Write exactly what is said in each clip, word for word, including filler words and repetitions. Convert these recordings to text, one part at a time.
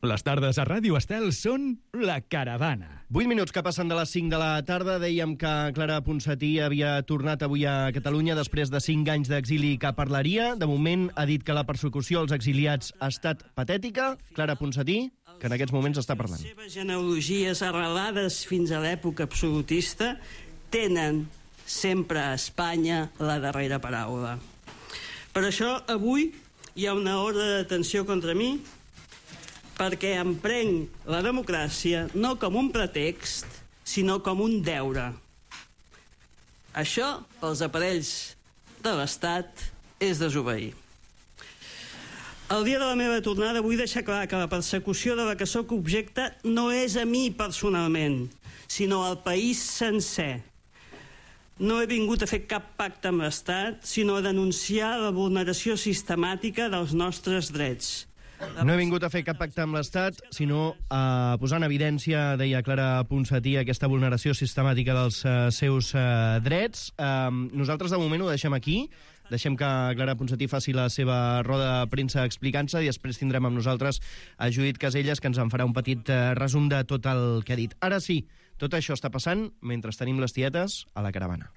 Les tardes a Ràdio Estel són La Caravana. vuit minuts que passen de les cinc de la tarda. Dèiem que Clara Ponsatí havia tornat avui a Catalunya després de cinc anys d'exili que parlaria. De moment ha dit que la persecució als exiliats ha estat patètica. Clara Ponsatí, que en aquests moments està parlant. Les seves genealogies arrelades fins a l'època absolutista tenen sempre a Espanya la darrera paraula. Per això avui hi ha una ordre d'atenció contra mi perquè em prenc la democràcia no com un pretext, sinó com un deure. Això, pels aparells de l'Estat, és desobeir. El dia de la meva tornada vull deixar clar que la persecució de la que sóc objecte no és a mi personalment, sinó al país sencer. No he vingut a fer cap pacte amb l'Estat, sinó a denunciar la vulneració sistemàtica dels nostres drets. No he vingut a fer cap pacte amb l'Estat, sinó a posar en evidència, deia Clara Ponsatí, aquesta vulneració sistemàtica dels uh, seus uh, drets. Uh, nosaltres de moment ho deixem aquí. Deixem que Clara Ponsatí faci la seva roda de premsa explicant-se i després tindrem amb nosaltres a Judit Caselles, que ens en farà un petit uh, resum de tot el que ha dit. Ara sí, tot això està passant mentre tenim les tietes a la caravana.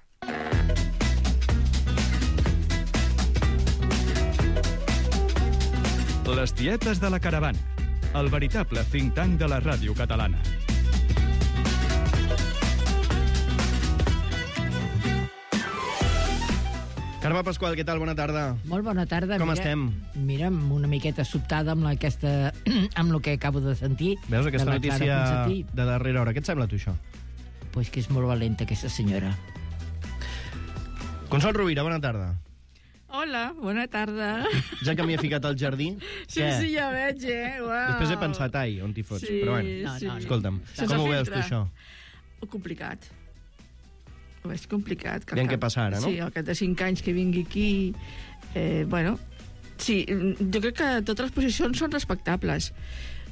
Les tietes de la caravana, el veritable think tank de la ràdio catalana. Carme Pasqual, què tal? Bona tarda. Molt bona tarda. Com mira, estem? Mira, una miqueta sobtada amb, la, aquesta, amb el que acabo de sentir. Veus aquesta de notícia de darrera hora? Què et sembla, tu, això? Pues que és molt valenta, aquesta senyora. Consol Rovira, bona tarda. Hola, bona tarda. Ja que m'hi he ficat al jardí... Sí, què? sí, ja veig, eh? Uau. Després he pensat, ai, on t'hi fots? Sí, però bueno, no, sí. no, escolta'm, Sense com ho veus tu, filtre. això? Complicat. Ho veig complicat. Aviam què passa ara, no? Sí, al cap de cinc anys que vingui aquí... Eh, bueno, sí, jo crec que totes les posicions són respectables.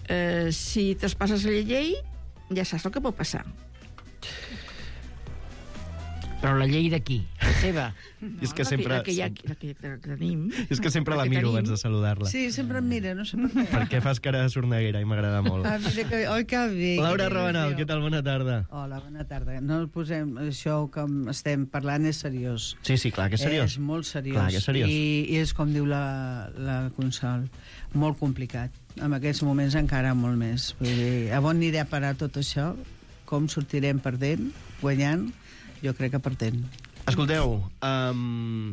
Eh, si traspasses la llei, ja saps el que pot passar. Però la llei d'aquí, la seva. No, és que la sempre... La que, ja, la que ja tenim. És que sempre la que miro tenim. abans de saludar-la. Sí, sempre em mira, no sé per què. Perquè fas cara de sorneguera i m'agrada molt. Ah, mira que... Oi, que bé. Laura que Rabanal, bé. què tal? Bona tarda. Hola, bona tarda. No el posem... Això que estem parlant és seriós. Sí, sí, clar, que és seriós. És molt seriós. Clar, que és seriós. I, I és, com diu la, la Consol, molt complicat. En aquests moments encara molt més. Vull dir, a on anirà a parar tot això? Com sortirem perdent, guanyant? Jo crec que perdent. Escolteu, um,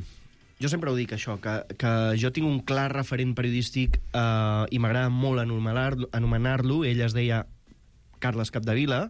jo sempre ho dic, això, que, que jo tinc un clar referent periodístic uh, i m'agrada molt anomenar-lo, anomenar-lo. Ell es deia Carles Capdevila,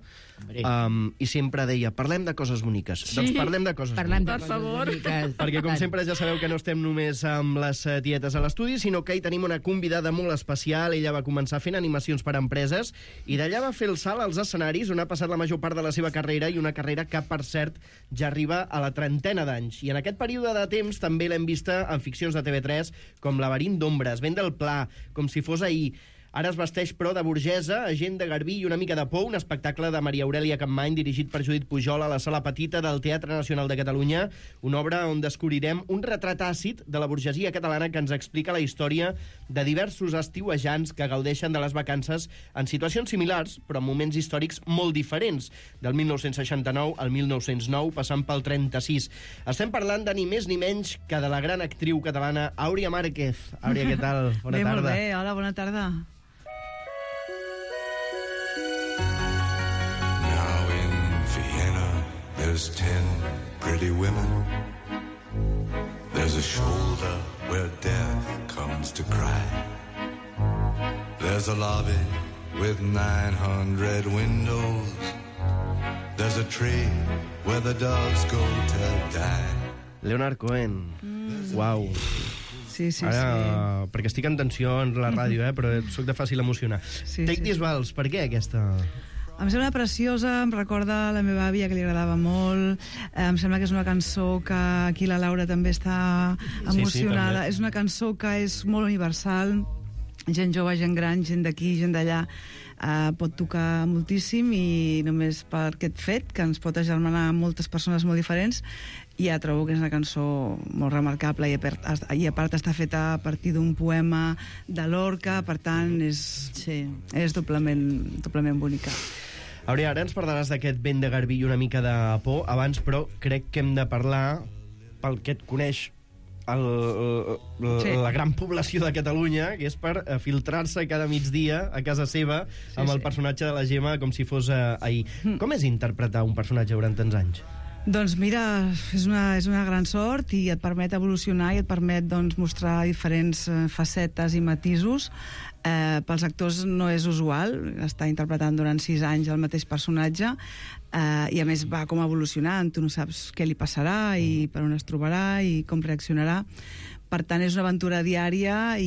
um, i sempre deia, parlem de coses boniques. Sí. Doncs parlem de coses Parlem de boniques. Per favor. coses boniques. Perquè, com sempre, ja sabeu que no estem només amb les eh, tietes a l'estudi, sinó que hi tenim una convidada molt especial. Ella va començar fent animacions per a empreses i d'allà va fer el salt als escenaris, on ha passat la major part de la seva carrera, i una carrera que, per cert, ja arriba a la trentena d'anys. I en aquest període de temps també l'hem vista en ficcions de T V tres, com Laberint d'ombres, Vent del Pla, Com si fos ahir. Ara es vesteix, però, de burgesa, agent de garbí i una mica de por, un espectacle de Maria Aurèlia Capmany dirigit per Judit Pujol a la Sala Petita del Teatre Nacional de Catalunya, una obra on descobrirem un retrat àcid de la burgesia catalana que ens explica la història de diversos estiuejants que gaudeixen de les vacances en situacions similars, però en moments històrics molt diferents, del mil nou-cents seixanta-nou al mil nou-cents nou, passant pel trenta-sis. Estem parlant de ni més ni menys que de la gran actriu catalana Àuria Márquez. Àuria, què tal? Bona bé, tarda. molt bé. Hola, bona tarda. There's ten pretty women. There's a shoulder where death comes to cry. There's a lobby with nine hundred windows. There's a tree where the doves go to die. Leonard Cohen. Mm. Uau. Sí, sí, Ara, sí. perquè estic en tensió en la ràdio, eh, però sóc de fàcil emocionar. Sí, Take sí, This sí. Vals, per què aquesta... Em sembla preciosa, em recorda la meva àvia, que li agradava molt. Em sembla que és una cançó que aquí la Laura també està emocionada. també. És una cançó que és molt universal, gent jove, gent gran, gent d'aquí, gent d'allà, eh, pot tocar moltíssim, i només per aquest fet, que ens pot agermanar moltes persones molt diferents, ja trobo que és una cançó molt remarcable, i a part, i a part està feta a partir d'un poema de Lorca, per tant és, Sí. és doblement, doblement bonica. Aurea, ara ens parlaràs d'aquest vent de garbí i una mica de por. Abans, però, crec que hem de parlar, pel que et coneix el, el, Sí. la gran població de Catalunya, que és per eh, filtrar-se cada migdia a casa seva Sí, amb el sí. personatge de la Gemma com si fos eh, ahir. Mm. Com és interpretar un personatge durant tants anys? Doncs mira, és una, és una gran sort, i et permet evolucionar i et permet, doncs, mostrar diferents eh, facetes i matisos. Eh, pels actors no és usual estar interpretant durant sis anys el mateix personatge, eh, i a més va com evolucionant, tu no saps què li passarà i per on es trobarà i com reaccionarà. Per tant, és una aventura diària i,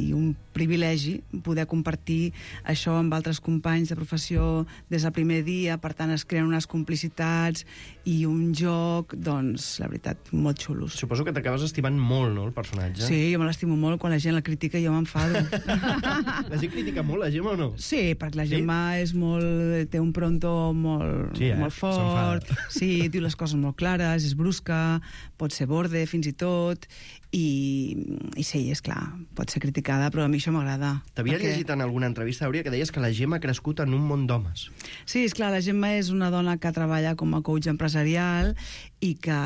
i un privilegi poder compartir això amb altres companys de professió des del primer dia. Per tant, es creen unes complicitats i un joc, doncs, la veritat, molt xulos. Suposo que t'acabes estimant molt, no, el personatge? Sí, jo me l'estimo molt. Quan la gent la critica jo m'enfado. La gent critica molt la Gemma o no? Sí, perquè la Sí? Gemma és molt, té un pronto molt, Sí, eh? molt fort. S'enfada. Sí, diu les coses molt clares, és brusca, pot ser borde fins i tot, i, i sí, és clar, pot ser criticada, però a mi això m'agrada. T'havia perquè- llegit en alguna entrevista, Aurea, que deies que la Gemma ha crescut en un món d'homes. Sí, és clar, la Gemma és una dona que treballa com a coach empresarial i que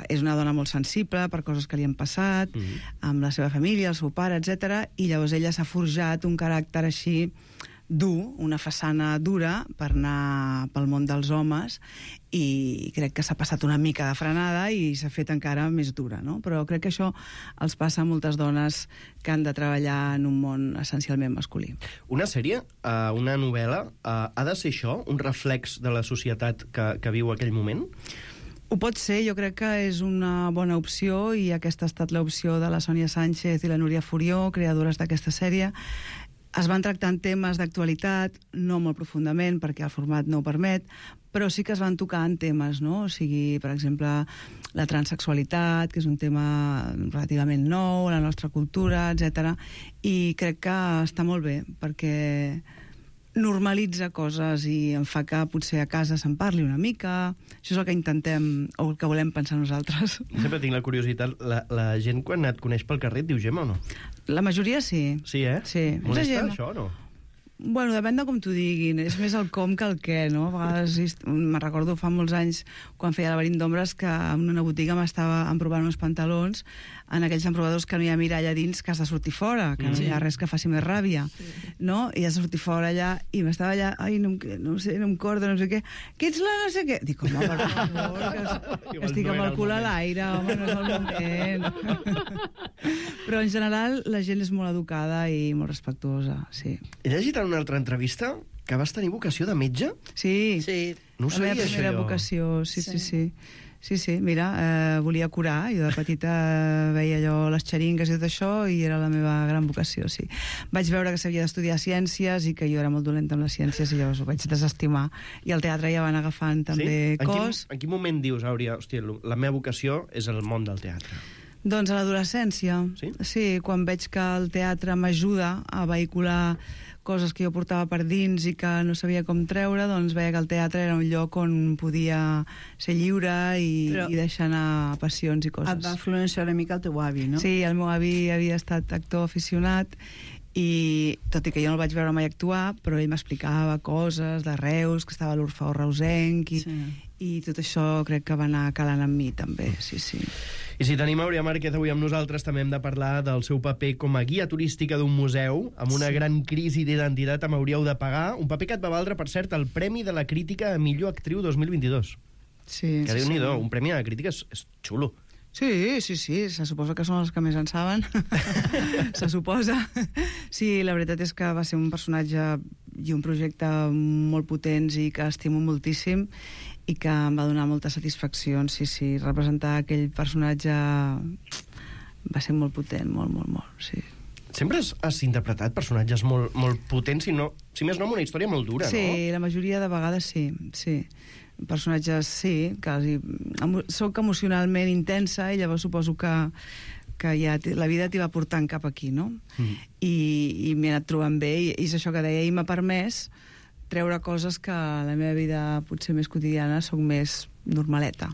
és una dona molt sensible per coses que li han passat, Mhm. amb la seva família, el seu pare, etcètera, i llavors ella s'ha forjat un caràcter així dur, una façana dura per anar pel món dels homes, i crec que s'ha passat una mica de frenada i s'ha fet encara més dura, no? Però crec que això els passa a moltes dones que han de treballar en un món essencialment masculí. Una sèrie, uh, una novel·la, uh, ha de ser això, un reflex de la societat que, que viu aquell moment? Ho pot ser, jo crec que és una bona opció, i aquesta ha estat l'opció de la Sònia Sánchez i la Núria Furió, creadores d'aquesta sèrie. Es van tractant temes d'actualitat, no molt profundament, perquè el format no ho permet, però sí que es van tocar en temes, no? O sigui, per exemple, la transsexualitat, que és un tema relativament nou a la nostra cultura, etcètera. I crec que està molt bé, perquè normalitza coses i em fa que potser a casa se'n parli una mica. Això és el que intentem, o el que volem pensar nosaltres. Sempre tinc la curiositat, la, la gent quan et coneix pel carrer et diu Gemma o no? La majoria sí. Sí, eh? Sí. Molesta La gent- això o no? Bueno, depèn de com t'ho diguin. És més el com que el què, no? A vegades, est- me'n recordo fa molts anys, quan feia Laberint d'ombres, que en una botiga m'estava emprovant uns pantalons, en aquells emprovadors que no hi ha mirall a dins, que has de sortir fora, que no hi ha res que faci més ràbia, no? I has de sortir fora allà, i m'estava allà, ai, no, em- no sé, no em corda, no sé què, que ets la no sé què? Dic, home, per favor, que, es- que estic amb el cul a l'aire, home, no és el moment. Però en general la gent és molt educada i molt respectuosa, sí. He llegit en una altra entrevista que vas tenir vocació de metge? Sí, Sí. No ho la meva sabia, primera això, jo. vocació, sí, sí, Sí. sí. Sí, sí, mira, eh, volia curar. Jo de petita veia allò, les xeringues i tot això, i era la meva gran vocació, sí. Vaig veure que s'havia d'estudiar ciències i que jo era molt dolenta amb les ciències, i llavors ho vaig desestimar. I al teatre ja van agafant també En cos. quin, en quin moment dius, Aurea, hòstia, la meva vocació és el món del teatre? Doncs a l'adolescència. Sí? Sí, quan veig que el teatre m'ajuda a vehicular coses que jo portava per dins i que no sabia com treure, doncs veia que el teatre era un lloc on podia ser lliure i, Però- i deixar anar passions i Et coses. va influenciar una mica el teu avi, no? Sí, el meu avi havia estat actor aficionat, i tot i que jo no el vaig veure mai actuar, però ell m'explicava coses de Reus, que estava a l'Orfeó reusenc, i, Sí. i tot això crec que va anar calant amb mi també, sí, sí. I si tenim Aurea Márquez avui amb nosaltres, també hem de parlar del seu paper com a guia turística d'un museu, amb una Sí. gran crisi d'identitat amb Hauríeu de pagar, un paper que et va valdre, per cert, el Premi de la Crítica a Millor Actriu dos mil vint-i-dos. Sí, Que sí, Déu-n'hi-do, sí. un premi a la crítica és, és xulo. Sí, sí, sí, se suposa que són els que més en saben. Se suposa. Sí, la veritat és que va ser un personatge i un projecte molt potents i que estimo moltíssim, i que em va donar moltes satisfaccions. Sí, sí, representar aquell personatge va ser molt potent, molt, molt, molt, sí. Sempre has, has interpretat personatges molt, molt potents, si, no, si més no, amb una història molt dura, Sí, la majoria de vegades sí, sí. Personatges, sí, quasi... Emo soc emocionalment intensa, i llavors suposo que que ja la vida t'hi va portant cap aquí, no? Mm. I, i m'he anat trobant bé, i, i és això que deia, i m'ha permès treure coses que a la meva vida potser més quotidiana soc més normaleta.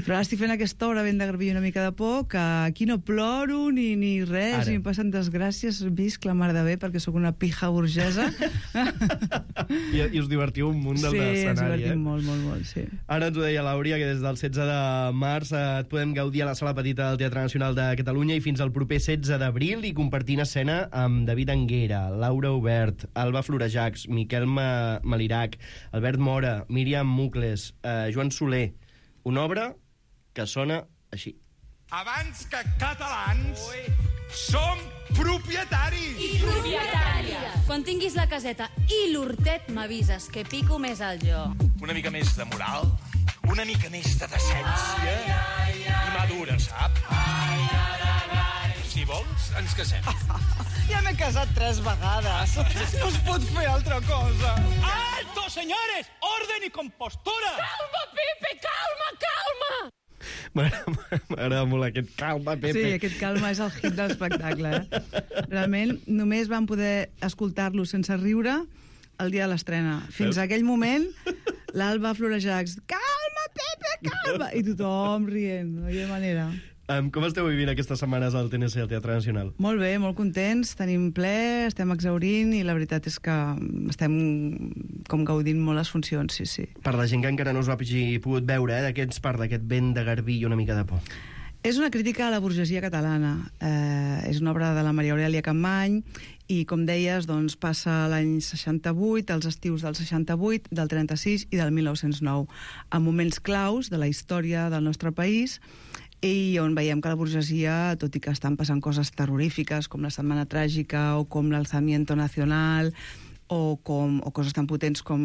Però ara estic fent aquesta obra ben de garbí una mica de por, que aquí no ploro ni, ni res, ara. Ni em passen desgràcies, visc la mar de bé perquè sóc una pija burgesa. I, I us divertiu un munt del sí, escenari, ens divertim eh? molt, molt, molt, sí. Ara ens ho deia l'Àuria, que des del setze de març eh, et podem gaudir a la Sala Petita del Teatre Nacional de Catalunya i fins al proper setze d'abril i compartint escena amb David Anguera, Laura Obert, Alba Florejacs, Miquel Ma Malirac, Albert Mora, Míriam Mucles, eh, Joan Soler. Una obra que sona així. Abans que catalans, Ui. som propietaris! I propietàries! Quan tinguis la caseta i l'hortet m'avises, que pico més al jo. Una mica més de moral, una mica més de decència ai, ai, ai. I madura, sap? Ai, ai, ai, ai. Si vols, ens casem. Ja m'he casat tres vegades. No es pot fer altra cosa. ¡Alto, señores! ¡Orden y compostura! Calma, Pepe, calma, calma! M'agrada molt aquest calma, Pepe. Sí, aquest calma és el hit de l'espectacle. Eh? Realment, només vam poder escoltar-lo sense riure el dia de l'estrena. Fins a aquell moment, l'Alba Florejacs, calma, Pepe, calma! I tothom rient, no hi ha manera. Um, com esteu vivint aquestes setmanes al T N C, al Teatre Nacional? Molt bé, molt contents, tenim ple, estem exhaurint i la veritat és que estem com gaudint molt les funcions, sí, sí. Per la gent que encara no us ho hagi pogut veure, eh, de què ens parla aquest vent de garbí i una mica de por? És una crítica a la burgesia catalana. Eh, és una obra de la Maria Aurèlia Capmany i, com deies, doncs, passa l'any seixanta-vuit, els estius del seixanta-vuit, del trenta-sis i del mil nou-cents nou, en moments claus de la història del nostre país, i on veiem que la burgesia, tot i que estan passant coses terrorífiques com la Setmana Tràgica o com l'Alzamiento Nacional o, com, o coses tan potents com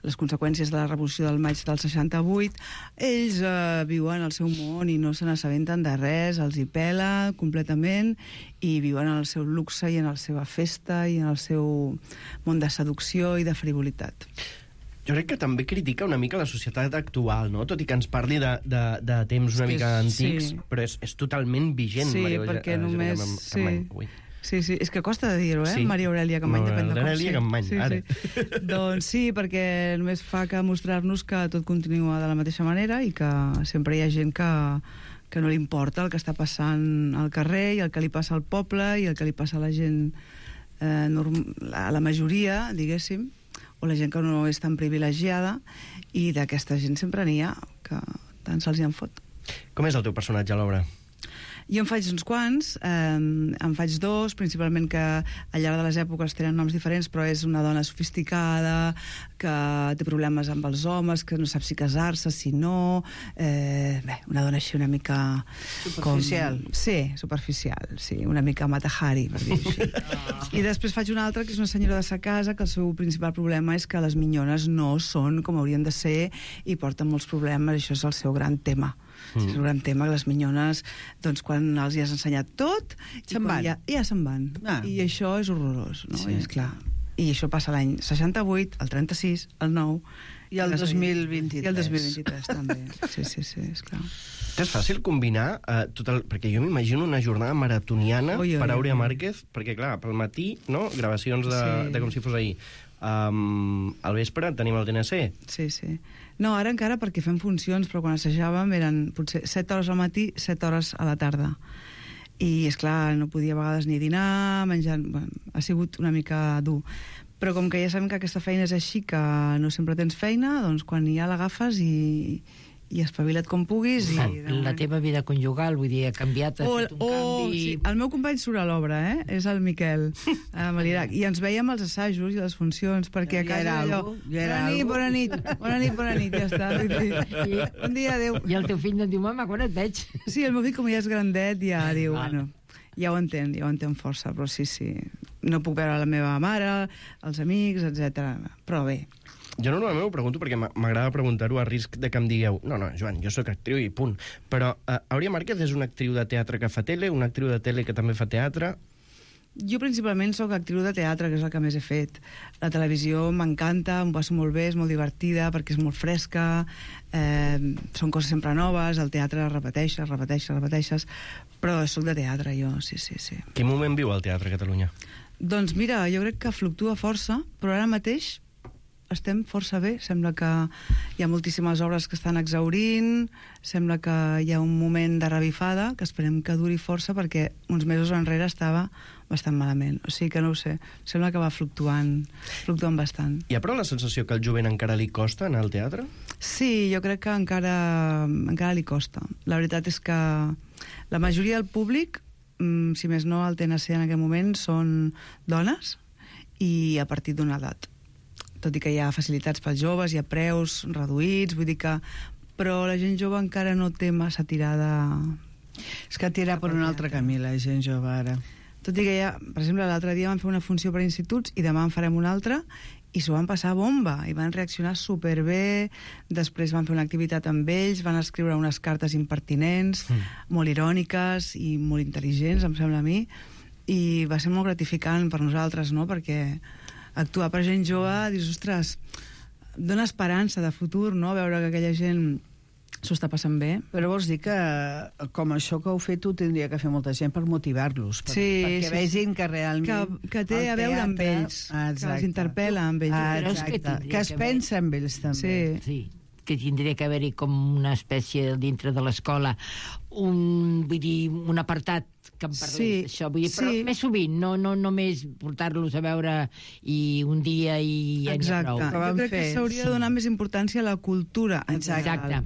les conseqüències de la Revolució del maig del seixanta-vuit, ells eh, viuen el seu món i no se n'assabenten de res, els hi pela completament i viuen en el seu luxe i en la seva festa i en el seu món de seducció i de frivolitat. Jo crec que també critica una mica la societat actual, no? Tot i que ens parli de, de, de temps una mica antics, sí. Però és, és totalment vigent. Sí, Maria, perquè eh, només... Sí. Sí, sí, és que costa de dir-ho, eh? Sí. Maria Aurèlia Capmany, depèn de com Aurèlia Capmany, sí, ara. Sí. Doncs sí, perquè només fa que mostrar-nos que tot continua de la mateixa manera i que sempre hi ha gent que, que no li importa el que està passant al carrer i el que li passa al poble i el que li passa a la gent, eh, norm... a la majoria, diguéssim, o la gent que no és tan privilegiada, i d'aquesta gent sempre n'hi ha, que tant se'ls hi en fot. Com és el teu personatge a l'obra? Jo en faig uns quants, eh, en faig dos, principalment que al llarg de les èpoques tenen noms diferents, però és una dona sofisticada, que té problemes amb els homes, que no sap si casar-se, si no... Eh, bé, una dona així una mica... Superficial. Com... Sí, superficial, sí, una mica Mata-Hari, per dir-ho així. Oh. I després faig una altra, que és una senyora de sa casa, que el seu principal problema és que les minyones no són com haurien de ser i porten molts problemes, això és el seu gran tema. Mm. És un gran tema, que les minyones, doncs, quan els hi has ensenyat tot, se'n van. Ja, ja se'n van. Ah. I això és horrorós, no? Sí. I, esclar, i això passa l'any seixanta-vuit, el trenta-sis, el nou... I el dos mil vint-i-tres. I el dos mil vint-i-tres, també. Sí, sí, sí, esclar. És fàcil combinar eh, tot el... Perquè jo m'imagino una jornada maratoniana oi, oi, per Àuria Márquez, perquè, clar, pel matí, no?, gravacions de, sí. de com si fos ahir. Um, al vespre tenim el T N C. Sí, sí. No, ara encara perquè fem funcions, però quan assajàvem eren potser set hores al matí, set hores a la tarda. I, esclar, no podia a vegades ni dinar, menjant... Bueno, ha sigut una mica dur. Però com que ja sabem que aquesta feina és així, que no sempre tens feina, doncs quan ja l'agafes i, i espavila't com puguis. I, la, la teva vida conjugal, vull dir, ha canviat, ha fet un oh, canvi... Sí. El meu company surt a l'obra, eh? És el Miquel eh, Malirac. I ens veiem als assajos i les funcions, perquè a casa ja allò... Bona nit, bona nit, bona nit, bona nit, ja està. I, bon dia, adéu. I el teu fill no et diu, mama, quan et veig? Sí, el meu fill, com ja és grandet, ja diu, ah. bueno... Ja ho entén, ja ho entén força, però sí, sí. No puc veure la meva mare, els amics, etcètera. Però bé. Jo normalment ho pregunto perquè m'agrada preguntar-ho a risc de que em digueu no, no, Joan, jo sóc actriu i punt. Però uh, Àuria Márquez és una actriu de teatre que fa tele, una actriu de tele que també fa teatre? Jo principalment sóc actriu de teatre, que és el que més he fet. La televisió m'encanta, em passo molt bé, és molt divertida perquè és molt fresca, eh, són coses sempre noves, el teatre repeteixes, repeteixes, repeteixes, però sóc de teatre jo, sí, sí, sí. Quin moment viu el teatre a Catalunya? Doncs mira, jo crec que fluctua força, però ara mateix estem força bé. Sembla que hi ha moltíssimes obres que estan exhaurint, sembla que hi ha un moment de revifada, que esperem que duri força, perquè uns mesos enrere estava bastant malament. O sigui que no ho sé, sembla que va fluctuant, fluctuant bastant. Hi ha però la sensació que al jovent encara li costa anar al teatre? Sí, jo crec que encara, encara li costa. La veritat és que la majoria del públic, si més no el T N C en aquest moment, són dones i a partir d'una edat. Tot i que hi ha facilitats pels joves, hi ha preus reduïts, vull dir que... Però la gent jove encara no té massa tirada... És que tira per un altre camí, la gent jove, ara. Tot i que ja, per exemple, l'altre dia vam fer una funció per instituts i demà en farem una altra i s'ho van passar bomba i van reaccionar superbé. Després van fer una activitat amb ells, van escriure unes cartes impertinents, mm. molt iròniques i molt intel·ligents, em sembla a mi, i va ser molt gratificant per nosaltres, no?, perquè actuar per gent jove, dius, ostres, dona esperança de futur, no?, veure que aquella gent s'ho està passant bé. Però vols dir que, com això que heu fet, tu tindria que fer molta gent per motivar-los, per, sí, perquè sí, vegin que realment... Que, que té a veure amb ells, ah, que els interpel·la amb ells. Ah, exacte, que, que es pensa amb ells, també. Sí, sí, que tindria que haver-hi com una espècie dintre de l'escola, un, vull dir, un apartat que em parlés sí, d'això, vull dir, però sí. més sovint, no, no només portar-los a veure i un dia i... Exacte, jo crec que s'hauria de donar més importància a la cultura. Exacte.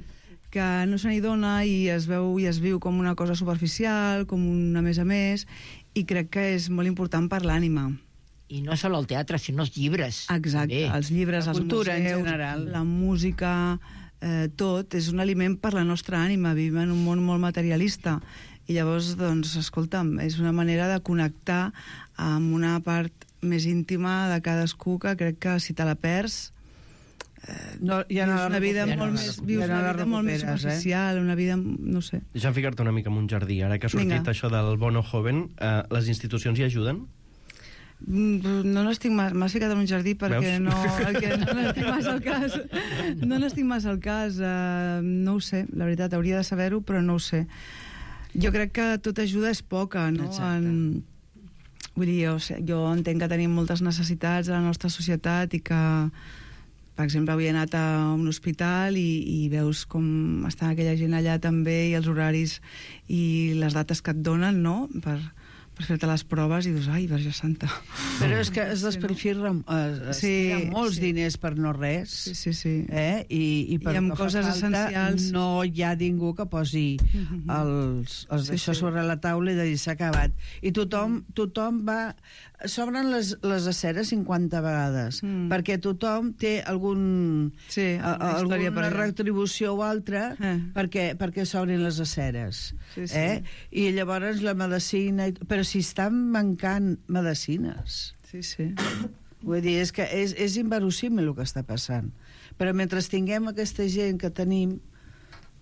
Que no se n'hi dona i es veu i es viu com una cosa superficial, com una més a més, i crec que és molt important per l'ànima. I no sol el teatre, sinó els llibres. Exacte, també. Els llibres, la els cultura museus, en general. La música, eh, tot, és un aliment per la nostra ànima. Vivim en un món molt materialista. I llavors, doncs, escolta'm, és una manera de connectar amb una part més íntima de cadascú que crec que si te la perds... Eh, no, ja no vius una vida ja molt no més, ja vius no una vida molt més superficial, eh? Una vida, no sé... Deixa'm ficar-te una mica en un jardí. Ara que ha sortit Vinga. això del bono joven, eh, les institucions hi ajuden? No n'estic massa, m'has ficat en un jardí perquè Veus? no, perquè no n'estic massa al cas. No n'estic massa al cas, uh, no ho sé, la veritat, hauria de saber-ho, però no ho sé. Jo crec que tota ajuda és poca, no? En, vull dir, jo, jo entenc que tenim moltes necessitats a la nostra societat i que, per exemple, avui he anat a un hospital i, i veus com està aquella gent allà també i els horaris i les dates que et donen, no?, per... per fer-te les proves i dius, ai, Verge Santa. Però és que es despilfirra eh, es sí, tira molts sí. diners per no res. Sí, sí, sí. Eh? I, i per I amb coses falta, essencials. no hi ha ningú que posi Mm-hmm. els, els Sí, d'això sí. sobre la taula i de dir s'ha acabat. I tothom, tothom va... S'obren les, les aceres cinquanta vegades, Mm. perquè tothom té algun, Sí, a, una història per alguna allà. retribució o altra Eh. perquè, perquè s'obrin les aceres. Sí, sí. Eh? I llavors la medicina... i- Però si estan mancant medicines... Sí, sí. Vull dir, és que és, és inverossímil el que està passant. Però mentre tinguem aquesta gent que tenim,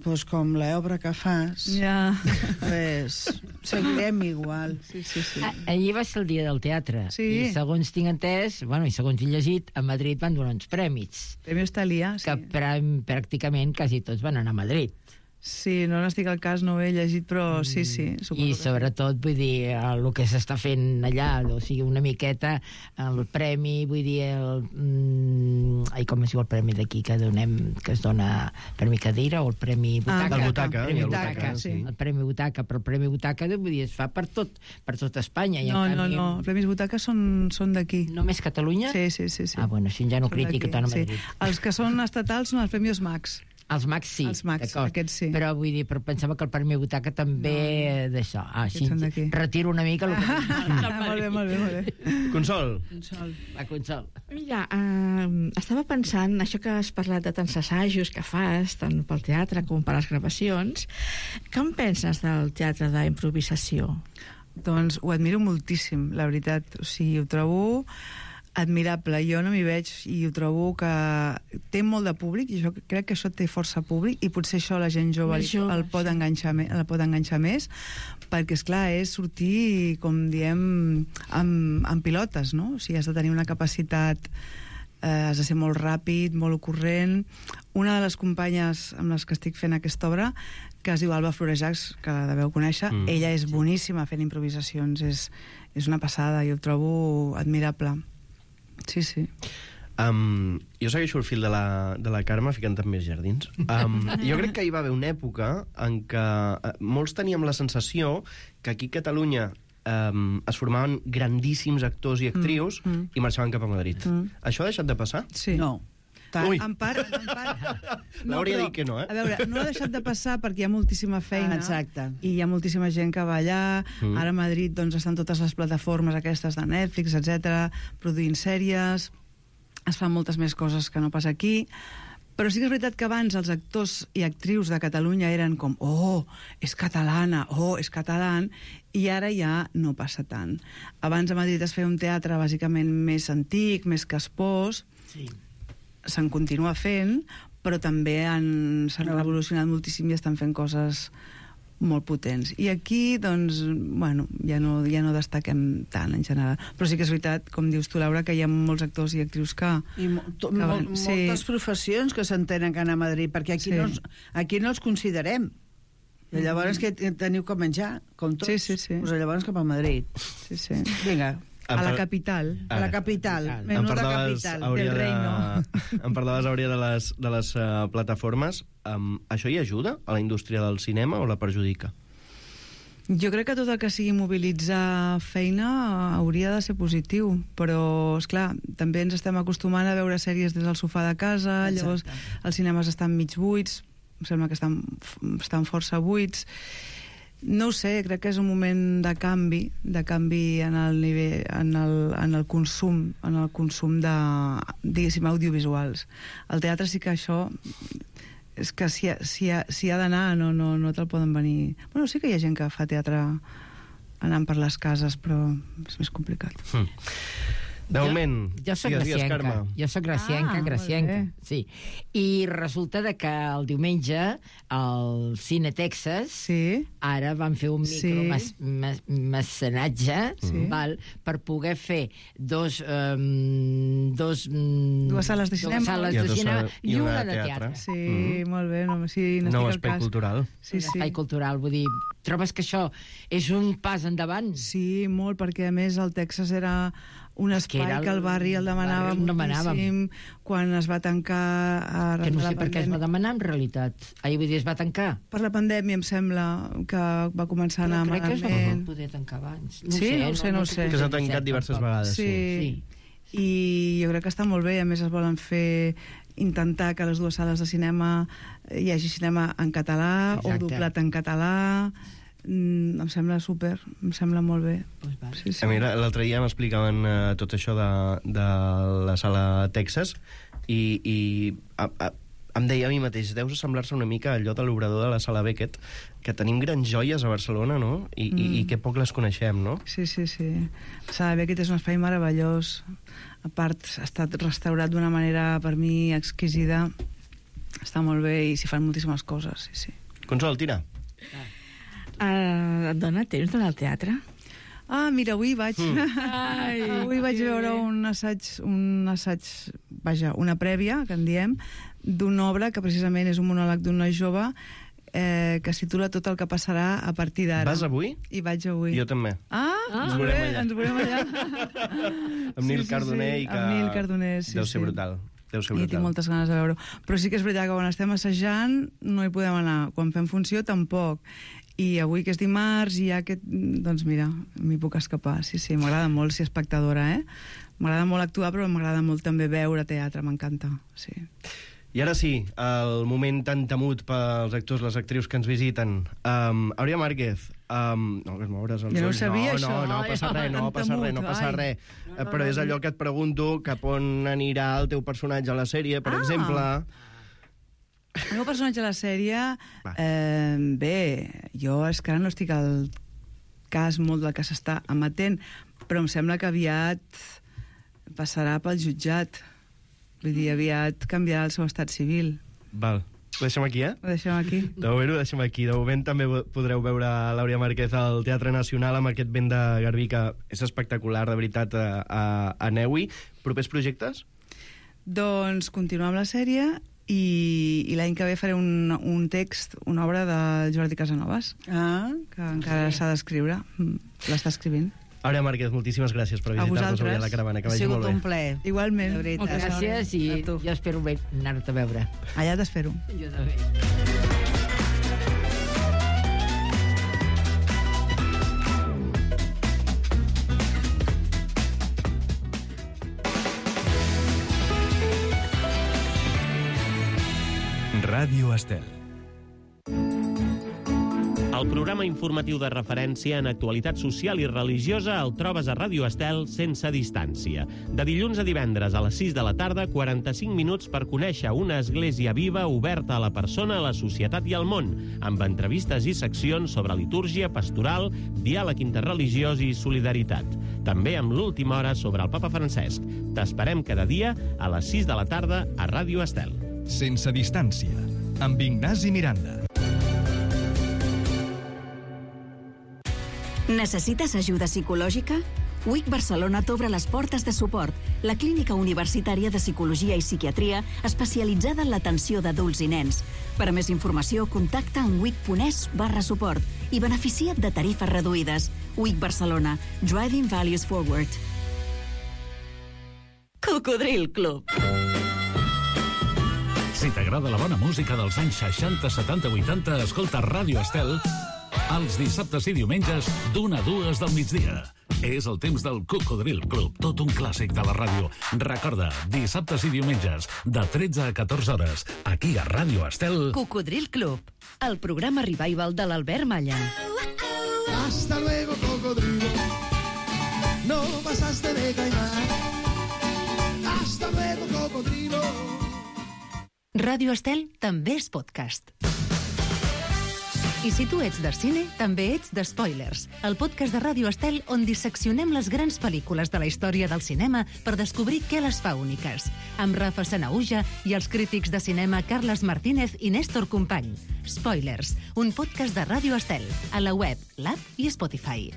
doncs com l'obra que fas, Ja. pues, seguirem igual. Sí, sí, sí. Ah, ahir va ser el dia del teatre. Sí. I segons tinc entès, bueno, i segons he llegit, a Madrid van donar uns prèmits. Premi Hostalía, sí. Que prà- pràcticament quasi tots van anar a Madrid. Sí, no n'estic al cas, no ho he llegit, però sí, sí. I sobretot, vull dir, el que s'està fent allà, o sigui, una miqueta el premi, vull dir, el, mm, ai, com es diu el premi d'aquí que donem, que es dona Premi Cadira o el Premi Butaca? Ah, el Butaca, Premi el Butaca, Butaca, sí. sí. El Premi Butaca, però el Premi Butaca, vull dir, es fa per tot, per tot Espanya. I en No, no, canvi, no, els Premis Butaca són, són d'aquí. Només Catalunya? Sí, sí, sí, sí. Ah, bueno, si ja no Són critica d'aquí, tant a sí. Madrid. Els que són estatals són els Premis Max. Els Max sí, Els Max, d'acord. aquests sí. Però vull dir, però pensava que el Premi Butaca també no. d'això. Ah, Aquests sí, són d'aquí. retiro una mica el que... Ah, molt bé, molt bé, molt bé. Consol. La Consol. Mira, uh, estava pensant, això que has parlat de tants assajos que fas, tant pel teatre com per les gravacions, què en penses del teatre d'improvisació? Doncs ho admiro moltíssim, la veritat. O sigui, ho trobo admirable. Jo no m'hi veig i ho trobo que té molt de públic, i jo crec que això té força públic, i potser això la gent jove Més jove, el pot sí. enganxar, me- el pot enganxar més, perquè, esclar, és sortir, com diem, amb, amb pilotes, no? O sigui, has de tenir una capacitat, eh, has de ser molt ràpid, molt ocorrent. Una de les companyes amb les que estic fent aquesta obra, que es diu Alba Florejacs, que la deveu conèixer, Mm. ella és boníssima fent improvisacions, és, és una passada, i ho trobo admirable. Sí, sí. Um, jo segueixo el fil de la, de la Carme ficant en més jardins. Um, jo crec que hi va haver una època en què uh, molts teníem la sensació que aquí a Catalunya um, es formaven grandíssims actors i actrius mm, mm. i marxaven cap a Madrid. Mm. Això ha deixat de passar? Sí. No. Ui. En part, en part... L'hauria però, dit que no, eh? A veure, no ha deixat de passar perquè hi ha moltíssima feina. Ah, exacte. I hi ha moltíssima gent que va allà. Mm. Ara a Madrid doncs, estan totes les plataformes aquestes de Netflix, etcètera, produint sèries. Es fan moltes més coses que no pas aquí. Però sí que és veritat que abans els actors i actrius de Catalunya eren com oh, és catalana, oh, és català, i ara ja no passa tant. Abans a Madrid es feia un teatre bàsicament més antic, més caspós, Sí. se'n continua fent, però també han- s'han revolucionat moltíssim i estan fent coses molt potents. I aquí, doncs, bueno, ja no, ja no destaquem tant, en general. Però sí que és veritat, com dius tu, Laura, que hi ha molts actors i actrius que... I mo to, que mo van- sí. moltes professions que s'entenen que anar a Madrid, perquè aquí, Sí. no, els- aquí no els considerem. I llavors que teniu que menjar, com tots. Sí, sí, sí. Pues llavors cap a Madrid. Sí, sí. Vinga, A la capital. a la capital. Em Menuda parlaves, capital Àurea, del reino. de... em parlaves, Àurea, de les, de les uh, plataformes. Um, això hi ajuda a la indústria del cinema o la perjudica? Jo crec que tot el que sigui mobilitzar feina hauria de ser positiu, però, és clar, també ens estem acostumant a veure sèries des del sofà de casa, Exacte. llavors els cinemes estan mig buits, em sembla que estan, estan força buits. No ho sé, crec que és un moment de canvi, de canvi en el nivell, en el, en el consum, en el consum de, diguéssim, audiovisuals. Al teatre sí que això és que si, ha, si, ha, si ha d'anar no, no, no te'l poden venir... Bueno, sí que hi ha gent que fa teatre anant per les cases, però és més complicat. Hm. De Jo- moment, Jo soc digues, digues, gracienca. Carme. Jo soc gracienca, Ah, molt gracienca. bé. Sí. I resulta de que el diumenge al Cine Texas Sí. ara van fer un Sí. micromecenatge Sí. val, per poder fer dos, um, dos, um, Dues sales de cinema. dues sales I de dos cinema sales- i una de teatre. Sí, Mhm. molt bé, no, sí, no Nou estic espai al cas. cultural. Sí, un sí. espai cultural, vull dir, trobes que això és un pas endavant? Sí, molt, perquè a més el Texas era un espai que que, era el el barri el demanava barri on demanàvem. moltíssim quan es va tancar arran Que no de la sé per què es va pandèmia. demanar, en realitat. Ahir, vull dir, es va tancar. Per la pandèmia, em sembla, que va començar a anar Però crec que es va malament. poder tancar abans. Sí? No ho sé, no ho sé. Que s'ha tancat diverses vegades. Sí. I jo crec que està molt bé. A més, es volen fer intentar que a les dues sales de cinema hi hagi cinema en català o Exacte. doblat en català. Mm, em sembla super, em sembla molt bé. Pues vale. Sí, sí. A mi l'altre dia m'explicaven uh, tot això de, de la sala Texas i, i a, a, em deia a mi mateix, deus assemblar-se una mica a allò de l'obrador de la sala Beckett, que tenim grans joies a Barcelona, no? I, mm. i, i que poc les coneixem, no? Sí, sí, sí. Sala Beckett és un espai meravellós. A part, ha estat restaurat d'una manera, per mi, exquisida. Està molt bé i s'hi fan moltíssimes coses, sí, sí. Consol, tira. Uh, et dona temps d'anar al teatre? Ah, mira, avui vaig... Mm. Ai, avui vaig que veure bé. un assaig, un assaig, vaja, una prèvia, que en diem, d'una obra que precisament és un monòleg d'un noi jove eh, que es titula Tot el que passarà a partir d'ara. Vas avui? I vaig avui. Jo també. Ah, Ens ens veurem veurem allà. Ens veurem allà. Amb Nil Sí, sí, Cardoner sí, i que... amb Nil Cardoner, sí, Deu ser sí. brutal. Deu ser I brutal. tinc moltes ganes de veure-ho. Però sí que és veritat que quan estem assajant no hi podem anar. Quan fem funció, tampoc. I avui, que és dimarts, i ja que... Doncs mira, m'hi puc escapar. Sí, sí, m'agrada molt ser espectadora, eh? M'agrada molt actuar, però m'agrada molt també veure teatre, m'encanta. Sí. I ara sí, el moment tan temut pels actors, les actrius que ens visiten. Um, Àurea Márquez, um, no, que es moures els Jo no ho ulls. sabia, no, això. No, no Ai, passa res, no tan passa res, no temut, passa ai. res. No, Eh, no, Però és no. allò que et pregunto, cap on anirà el teu personatge a la sèrie, per Ah. exemple. El meu personatge a la sèrie... Eh, bé, jo és que ara no estic al cas molt del que s'està emetent, però em sembla que aviat passarà pel jutjat. Vull dir, aviat canviarà el seu estat civil. Val. Ho deixem aquí, eh? Ho deixem aquí. De moment ho deixem aquí. De moment també podreu veure l'Àurea Márquez al Teatre Nacional amb aquest vent de garbí que és espectacular, de veritat, a, a, a Neui. Propers projectes? Doncs continuar amb la sèrie i, i l'any que ve faré un, un text, una obra de Jordi Casanovas, ah, que encara s'ha d'escriure. L'està escrivint. Àurea Márquez, moltíssimes gràcies per visitar-nos avui a la caravana. Que vagi molt bé. Ha sigut un plaer. Igualment. Moltes gràcies i jo espero anar-te a veure. Allà t'espero. Jo també. Ràdio Estel. El programa informatiu de referència en actualitat social i religiosa el trobes a Ràdio Estel sense distància. De dilluns a divendres a les sis de la tarda, quaranta-cinc minuts per conèixer una església viva oberta a la persona, a la societat i al món, amb entrevistes i seccions sobre litúrgia, pastoral, diàleg interreligiós i solidaritat. També amb l'última hora sobre el Papa Francesc. T'esperem cada dia a les sis de la tarda a Ràdio Estel. Sense distància, amb Ignasi Miranda. Necessites ajuda psicològica? U I C Barcelona t'obre les portes de suport, la clínica universitària de psicologia i psiquiatria especialitzada en l'atenció d'adults i nens. Per a més informació, contacta amb wic.es barra suport i beneficia't de tarifes reduïdes. U I C Barcelona. Driving Values Forward. Cocodril Club. Si t'agrada la bona música dels anys seixanta, setanta, vuitanta, escolta Ràdio Estel els dissabtes i diumenges d'una a dues del migdia. És el temps del Cocodril Club, tot un clàssic de la ràdio. Recorda, dissabtes i diumenges, de tretze a catorze hores, aquí a Ràdio Estel. Cocodril Club, el programa revival de l'Albert Malla. Hasta luego, cocodrilo. No pasaste de caimán. Hasta luego, cocodrilo. Ràdio Estel també és podcast. I si tu ets de cine, també ets de Spoilers, el podcast de Ràdio Estel on disseccionem les grans pel·lícules de la història del cinema per descobrir què les fa úniques. Amb Rafa Sanahuja i els crítics de cinema Carles Martínez i Néstor Company. Spoilers, un podcast de Ràdio Estel, a la web, l'app i Spotify.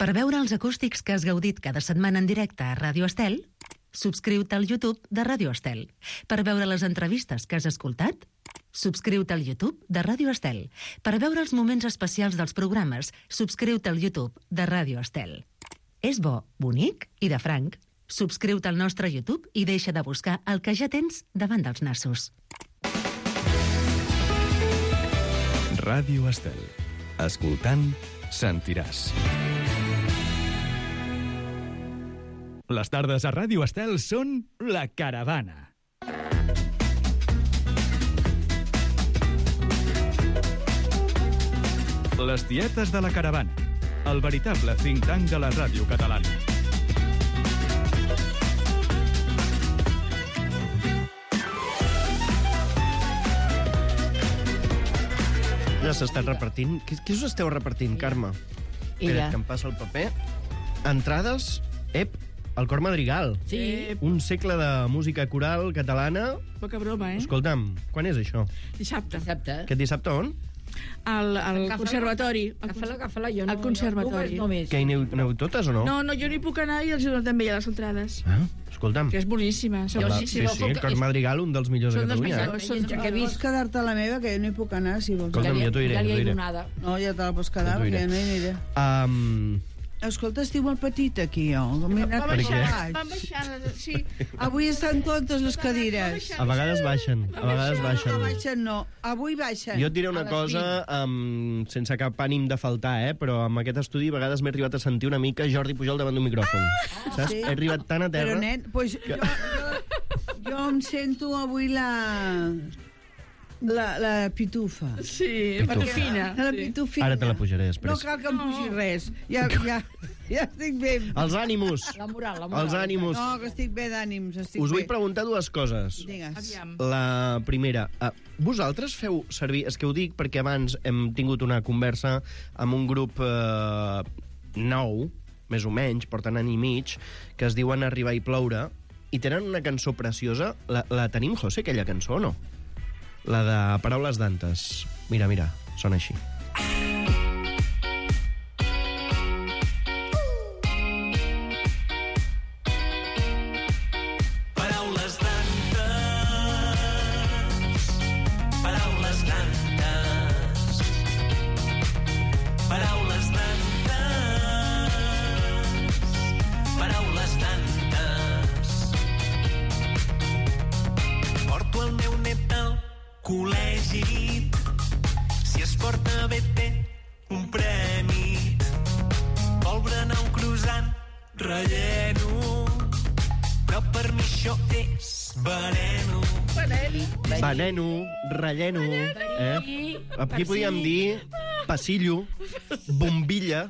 Per veure els acústics que has gaudit cada setmana en directe a Ràdio Estel, subscriu-te al YouTube de Ràdio Estel. Per veure les entrevistes que has escoltat, subscriu-te al YouTube de Ràdio Estel. Per veure els moments especials dels programes, subscriu-te al YouTube de Ràdio Estel. És bo, bonic i de franc. Subscriu-te al nostre YouTube i deixa de buscar el que ja tens davant dels nassos. Ràdio Estel. Escoltant, sentiràs. Les tardes a Ràdio Estel són La Caravana. Les tietes de la caravana. El veritable think tank de la ràdio catalana. Ja s'està repartint. Què, què us esteu repartint, Carme? Espera, que em passa el paper. Entrades, ep, el Cor Madrigal. Sí. Un segle de música coral catalana. Poca broma, eh? Escolta'm, quan és això? Dissabte. Dissabte. Aquest dissabte on? Al, al conservatori. Agafa-la, agafa-la, jo no. Al conservatori. Jo només, Que hi aneu, aneu totes o no? No, no, jo no hi puc anar i els dono també ja les entrades. Ah, escolta'm. Que és boníssima. Sí, sí, sí, el Cor Madrigal, un dels millors de Catalunya. Són que vols quedar-te a la meva, que jo no hi puc anar, si vols. Escolta'm, ja t'ho diré, ja t'ho diré. No, ja te la pots quedar, perquè no hi aniré. Um... Escolta, estiu molt petit aquí, jo. Va baixant, va baixant, sí. Avui estan totes les cadires. A vegades baixen, a vegades baixen. No baixen, no. Avui baixen. Jo et diré una cosa, um, sense cap ànim de faltar, eh? Però amb aquest estudi a vegades m'he arribat a sentir una mica Jordi Pujol davant d'un micròfon. Ah, saps? Sí. He arribat tan a terra... Però, nen, pues, que... jo, jo, jo em sento avui la... La, la pitufa. Sí, Pitufa. pitufina. La pitufina. Ara te la pujaré després. No cal que em pugi res. Ja, ja, ja estic bé. Els ànims. La moral, la moral. Els ànims. No, que estic bé d'ànims. Estic Us vull bé. preguntar dues coses. Digues. La primera, uh, vosaltres feu servir... És que ho dic perquè abans hem tingut una conversa amb un grup uh, nou, més o menys, porten any i mig, que es diuen Arribar i ploure, i tenen una cançó preciosa. La, la tenim, José, aquella cançó, o no? La de Paraules d'antes. Mira, mira, sona així. Col·legi, si es porta bé té un premi. Vol berenar un croissant relleno, però per mi això és veneno. Veneno, relleno. Eh? Aquí podíem dir passillo, bombilla.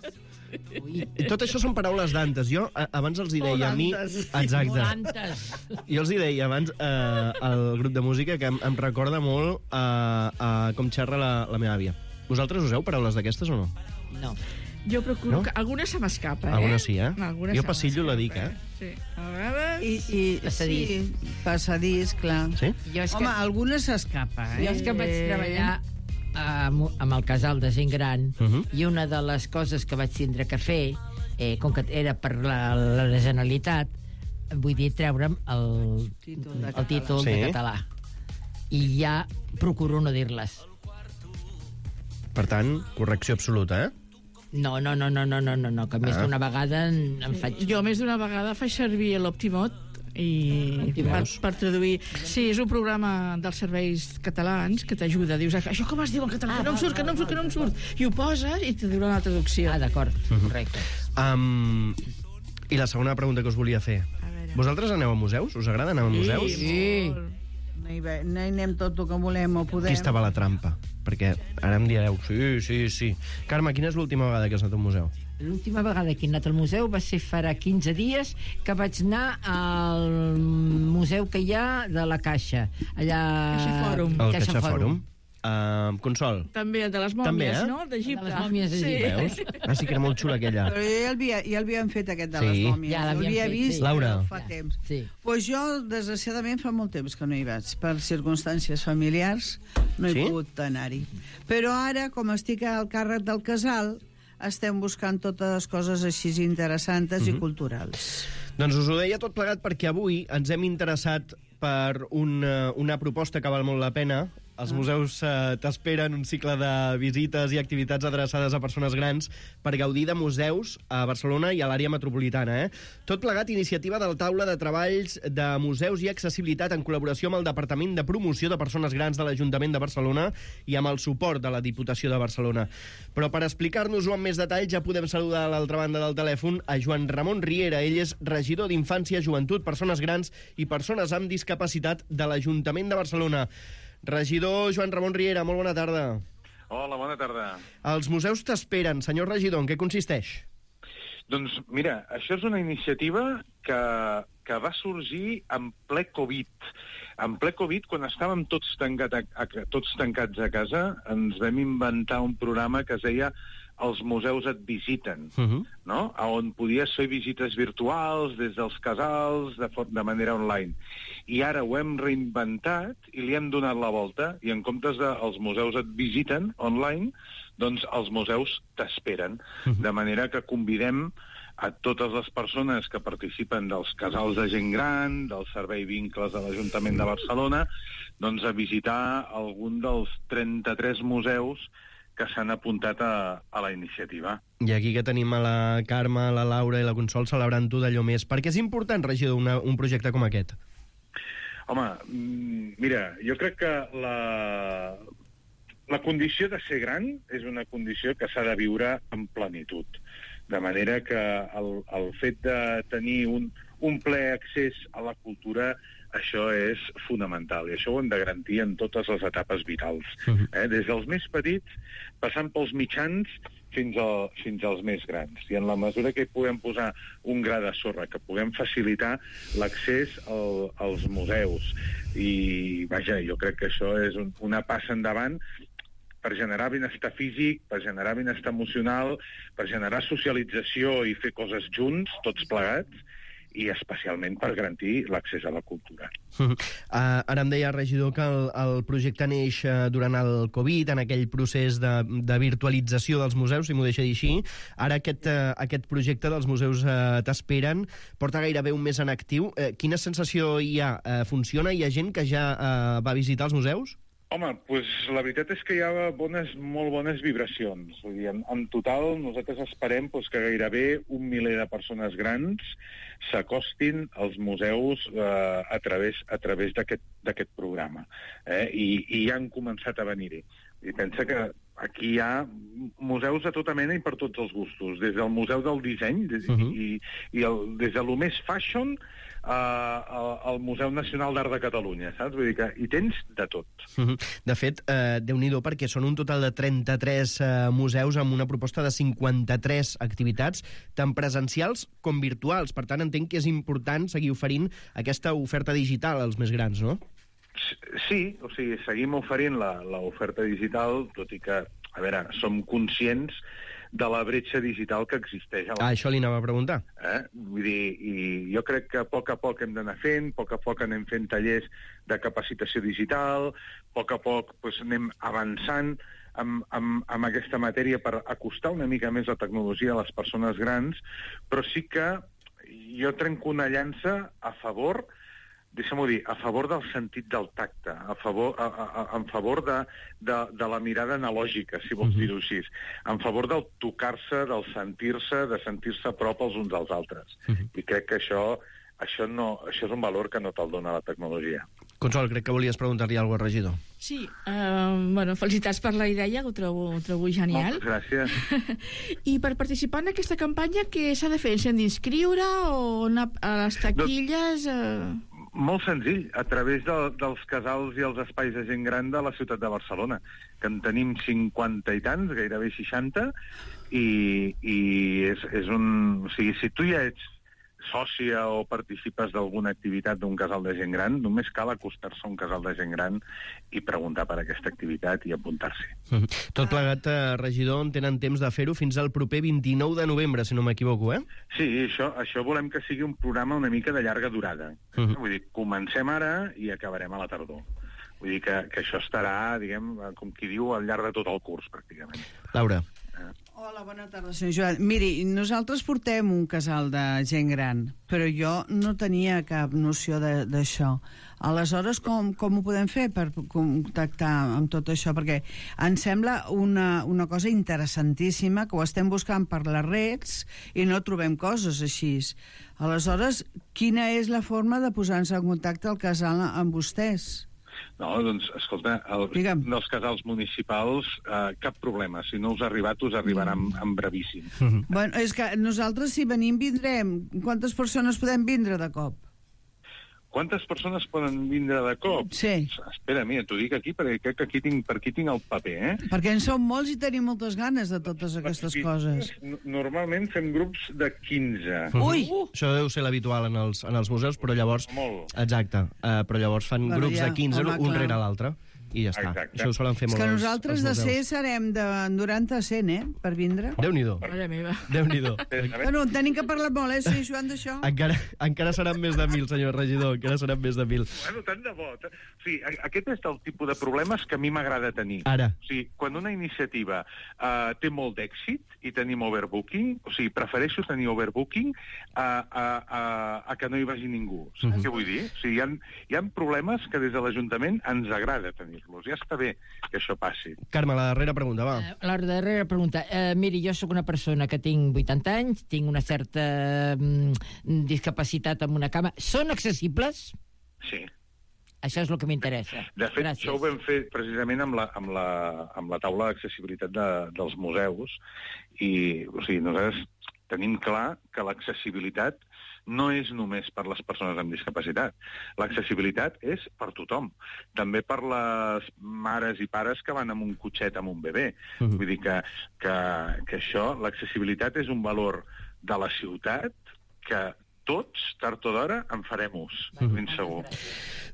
I tot això són paraules d'antes. Jo a, abans els hi deia a mi... Exacte. Jo els hi deia abans eh, al grup de música que em, em recorda molt a, a com xerra la, la meva àvia. Vosaltres useu paraules d'aquestes o no? No. Jo procuro... No? Que alguna se m'escapa, eh? Alguna sí, eh? Alguna jo passillo la dic, eh? Sí. A vegades... I, i, Passadís. Sí, passadís, clar. Sí? Jo és Home, que, alguna s'escapa, eh? jo és que vaig treballar amb, amb el casal de gent gran, Uh -huh. i una de les coses que vaig tindre que fer, eh, com que era per la, la Generalitat, vull dir, treure'm el Títol de el títol Sí. de català. I ja procuro no dir-les. Per tant, correcció absoluta, eh? No, no, no, no, no, no, no, no que més Ah. d'una vegada en, en faig... Jo més d'una vegada faig servir l'Optimot i per, Veus? per traduir. Sí, és un programa dels serveis catalans que t'ajuda. Dius, això com es diu en català? Ah, Que no em surt, que no em surt, que no em surt. I ho poses i te diurà la traducció. Ah, d'acord, Mhm. correcte. Um, I la segona pregunta que us volia fer. Vosaltres aneu a museus? Us agrada anar a museus? Sí. No hi, ve, no hi anem tot el que volem o podem. Aquí estava la trampa, perquè ara em direu, sí, sí, sí. Carme, quina és l'última vegada que has anat a un museu? L'última vegada que he anat al museu va ser farà quinze dies que vaig anar al museu que hi ha de la Caixa. Allà... Caixa Fòrum. El Caixa Fòrum. Uh, Consol. També el de les mòmies, També, eh? no? D'Egipte. De les mòmies d'Egipte. Veus? Ah, sí que era molt xula aquella. Però ja l'havia- ja l'havíem fet, aquest de Sí. les mòmies. Ja l'havíem L'havia fet, vist sí. Laura. fa temps. Sí. Pues jo, desgraciadament, fa molt temps que no hi vaig. Per circumstàncies familiars no he Sí? pogut anar-hi. Però ara, com estic al càrrec del casal, estem buscant totes les coses així interessants Mhm. i culturals. Doncs us ho deia tot plegat perquè avui ens hem interessat per una, una proposta que val molt la pena. Els museus eh, t'esperen un cicle de visites i activitats adreçades a persones grans per gaudir de museus a Barcelona i a l'àrea metropolitana. Eh? Tot plegat iniciativa del Taula de Treballs de Museus i Accessibilitat en col·laboració amb el Departament de Promoció de Persones Grans de l'Ajuntament de Barcelona i amb el suport de la Diputació de Barcelona. Però per explicar-nos-ho amb més detall ja podem saludar a l'altra banda del telèfon a Joan Ramon Riera. Ell és regidor d'Infància, Joventut, Persones Grans i Persones amb Discapacitat de l'Ajuntament de Barcelona. Regidor Joan Ramon Riera, molt bona tarda. Hola, bona tarda. Els museus t'esperen. Senyor regidor, en què consisteix? Doncs mira, això és una iniciativa que, que va sorgir en ple Covid. En ple Covid, quan estàvem tots, tancat a, a, tots tancats a casa, ens vam inventar un programa que es deia Els museus et visiten, Uh-huh. no? On podies fer visites virtuals des dels casals de, for- de manera online. I ara ho hem reinventat i li hem donat la volta, i en comptes de els museus et visiten online, doncs els museus t'esperen. Uh-huh. De manera que convidem a totes les persones que participen dels casals de gent gran, del Servei Vincles de l'Ajuntament de Barcelona, doncs a visitar algun dels trenta-tres museus que s'han apuntat a, a la iniciativa. I aquí que tenim a la Carme, la Laura i la Consol celebrant-ho d'allò més. Per què és important, regidor, una, un projecte com aquest? Home, mm, mira, jo crec que la, la condició de ser gran és una condició que s'ha de viure en plenitud. De manera que el, el fet de tenir un, un ple accés a la cultura, això és fonamental, i això ho hem de garantir en totes les etapes vitals. Uh-huh. Eh? Des dels més petits, passant pels mitjans, fins, a, fins als més grans. I en la mesura que hi puguem posar un gra de sorra, que puguem facilitar l'accés al, als museus. I, vaja, jo crec que això és un, una passa endavant, per generar benestar físic, per generar benestar emocional, per generar socialització i fer coses junts, tots plegats, i especialment per garantir l'accés a la cultura. Uh, ara em deia, regidor, que el, el projecte neix uh, durant el Covid, en aquell procés de, de virtualització dels museus, si m'ho deixa dir així. Ara aquest, uh, aquest projecte dels museus uh, t'esperen porta gairebé un mes en actiu. Uh, quina sensació hi ha? Uh, funciona? Hi ha gent que ja uh, va visitar els museus? Home, doncs la veritat és que hi ha bones, molt bones vibracions. Vull dir, en, en total, nosaltres esperem doncs, que gairebé un miler de persones grans s'acostin als museus eh, a través, a través d'aquest programa. Eh? I, I ja han començat a venir-hi. I pensa que aquí hi ha museus de tota mena i per tots els gustos, des del Museu del Disseny des, uh-huh. i, i el, des de lo més fashion uh, al Museu Nacional d'Art de Catalunya, saps? Vull dir que hi tens de tot. Uh-huh. De fet, eh, Déu-n'hi-do, perquè són un total de trenta-tres eh, museus amb una proposta de cinquanta-tres activitats, tant presencials com virtuals. Per tant, entenc que és important seguir oferint aquesta oferta digital als més grans, no? Sí, o sigui, seguim oferint l'oferta digital, tot i que, a veure, som conscients de la bretxa digital que existeix. Ah, això li anava a preguntar. Eh? Vull dir, i jo crec que a poc a poc hem d'anar fent, a poc a poc anem fent tallers de capacitació digital, a poc a poc doncs, anem avançant amb, amb, amb aquesta matèria per acostar una mica més la tecnologia a les persones grans, però sí que jo trenco una llança a favor, deixa'm-ho dir, a favor del sentit del tacte, a favor, a, a, en favor de, de, de la mirada analògica, si vols uh-huh. dir-ho així, en favor del tocar-se, del sentir-se, de sentir-se a prop els uns dels altres. Uh-huh. I crec que això, això, no, això és un valor que no te'l dona la tecnologia. Consol, crec que volies preguntar-li alguna cosa al regidor. Sí, uh, bueno, felicitats per la idea, ho trobo, ho trobo genial. Moltes gràcies. I per participar en aquesta campanya, què s'ha de fer? S'han d'inscriure o anar a les taquilles? Uh... Molt senzill, a través de, dels casals i els espais de gent gran de la ciutat de Barcelona, que en tenim cinquanta i tants, gairebé seixanta, i, i és, és un... O sigui, si tu ja ets sòcia o participes d'alguna activitat d'un casal de gent gran, només cal acostar-se a un casal de gent gran i preguntar per aquesta activitat i apuntar-s'hi. Mm. Tot plegat, eh, regidor, en tenen temps de fer-ho fins al proper vint-i-nou de novembre, si no m'equivoco, eh? Sí, això, això volem que sigui un programa una mica de llarga durada. Mm. Vull dir, comencem ara i acabarem a la tardor. Vull dir que, que això estarà, diguem, com qui diu, al llarg de tot el curs, pràcticament. Laura. Eh? Hola, bona tarda, senyor Joan. Miri, nosaltres portem un casal de gent gran, però jo no tenia cap noció d'això. Aleshores, com, com ho podem fer per contactar amb tot això? Perquè em sembla una, una cosa interessantíssima, que ho estem buscant per les reds i no trobem coses així. Aleshores, quina és la forma de posar-nos en contacte al casal amb vostès? No, doncs, escolta, el, dels casals municipals, eh, cap problema. Si no us ha arribat, us arribarà en, en brevíssim. Bueno, és que nosaltres, si venim, vindrem. Quantes persones podem vindre de cop? Quantes persones poden vindre de cop? Sí. Espera, mira, t'ho dic aquí, perquè crec que aquí tinc, per aquí tinc el paper, eh? Perquè en som molts i tenim moltes ganes de totes aquestes perquè coses. Normalment fem grups de quinze. Ui! Uh! Això deu ser l'habitual en, els, en els museus, però llavors... Molt. Exacte, uh, però llavors fan Bueno, grups ja, de quinze, home, un clar. rere l'altre. I ja està. Exacte. Això ho solen fer És molt que els- nosaltres els de ser museus. serem de noranta a cent, eh, per vindre. Déu-n'hi-do. Mare meva. Déu-n'hi-do. Bueno, tenim que parlar molt, eh, senyor Joan, d'això. Encara, encara seran més de mil, senyor regidor, encara seran més de mil. Bueno, tant de bo. O sigui, a- aquest és el tipus de problemes que a mi m'agrada tenir. Ara. O sigui, quan una iniciativa uh, té molt d'èxit i tenim overbooking, o sigui, prefereixo tenir overbooking a, a, a, a que no hi vagi ningú. Saps Mhm. què vull dir? O sigui, hi ha, hi ha problemes que des de l'Ajuntament ens agrada tenir-los. Ja està bé que això passi. Carme, la darrera pregunta, va. La darrera pregunta. Eh, miri, jo sóc una persona que tinc vuitanta anys, tinc una certa mm, discapacitat amb una cama. Són accessibles? Sí. Això és el que m'interessa. De fet, Gràcies. això ho vam fer precisament amb la, amb la, amb la taula d'accessibilitat de, dels museus i, o sigui, nosaltres tenim clar que l'accessibilitat no és només per les persones amb discapacitat. L'accessibilitat és per tothom. També per les mares i pares que van amb un cotxet amb un bebè. Mhm. Vull dir que, que, que això, l'accessibilitat és un valor de la ciutat que tots, tard o d'hora, en farem ús, ben segur.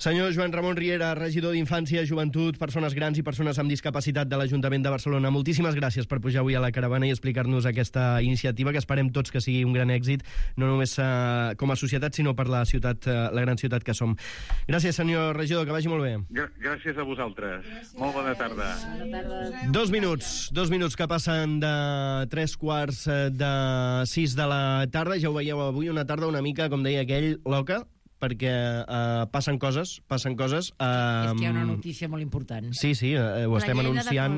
Senyor Joan Ramon Riera, regidor d'Infància, Joventut, Persones Grans i Persones amb Discapacitat de l'Ajuntament de Barcelona, moltíssimes gràcies per pujar avui a la caravana i explicar-nos aquesta iniciativa, que esperem tots que sigui un gran èxit, no només uh, com a societat, sinó per la ciutat, uh, la gran ciutat que som. Gràcies, senyor regidor, que vagi molt bé. Gr gràcies a vosaltres. Gràcies. Molt bona tarda. Bona tarda. Dos minuts, dos minuts que passen de tres quarts de sis de la tarda. Ja ho veieu avui, una tarda una mica, com deia aquell, loca, perquè uh, passen coses, passen coses. Uh, És que hi ha una notícia molt important. Sí, sí, uh, ho estem anunciant.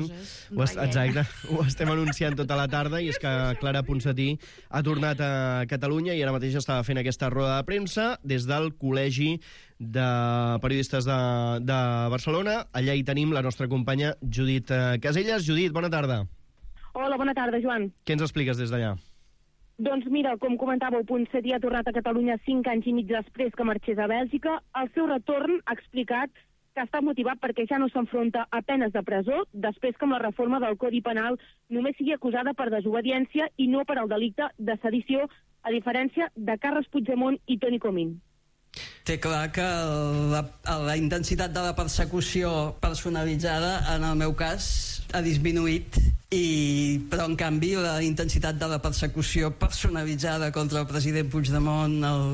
Ho est exacte, ho estem anunciant tota la tarda, i és que Clara Ponsatí ha tornat a Catalunya i ara mateix estava fent aquesta roda de premsa des del Col·legi de Periodistes de, de Barcelona. Allà hi tenim la nostra companya Judit Caselles. Judit, bona tarda. Hola, bona tarda, Joan. Què ens expliques des d'allà? Doncs mira, com comentàveu, Ponsatí ha tornat a Catalunya cinc anys i mig després que marxés a Bèlgica. El seu retorn ha explicat que està motivat perquè ja no s'enfronta a penes de presó després que amb la reforma del Codi Penal només sigui acusada per desobediència i no per al delicte de sedició, a diferència de Carles Puigdemont i Toni Comín. Té clar que la, la intensitat de la persecució personalitzada, en el meu cas, ha disminuït, i, però en canvi la intensitat de la persecució personalitzada contra el president Puigdemont, el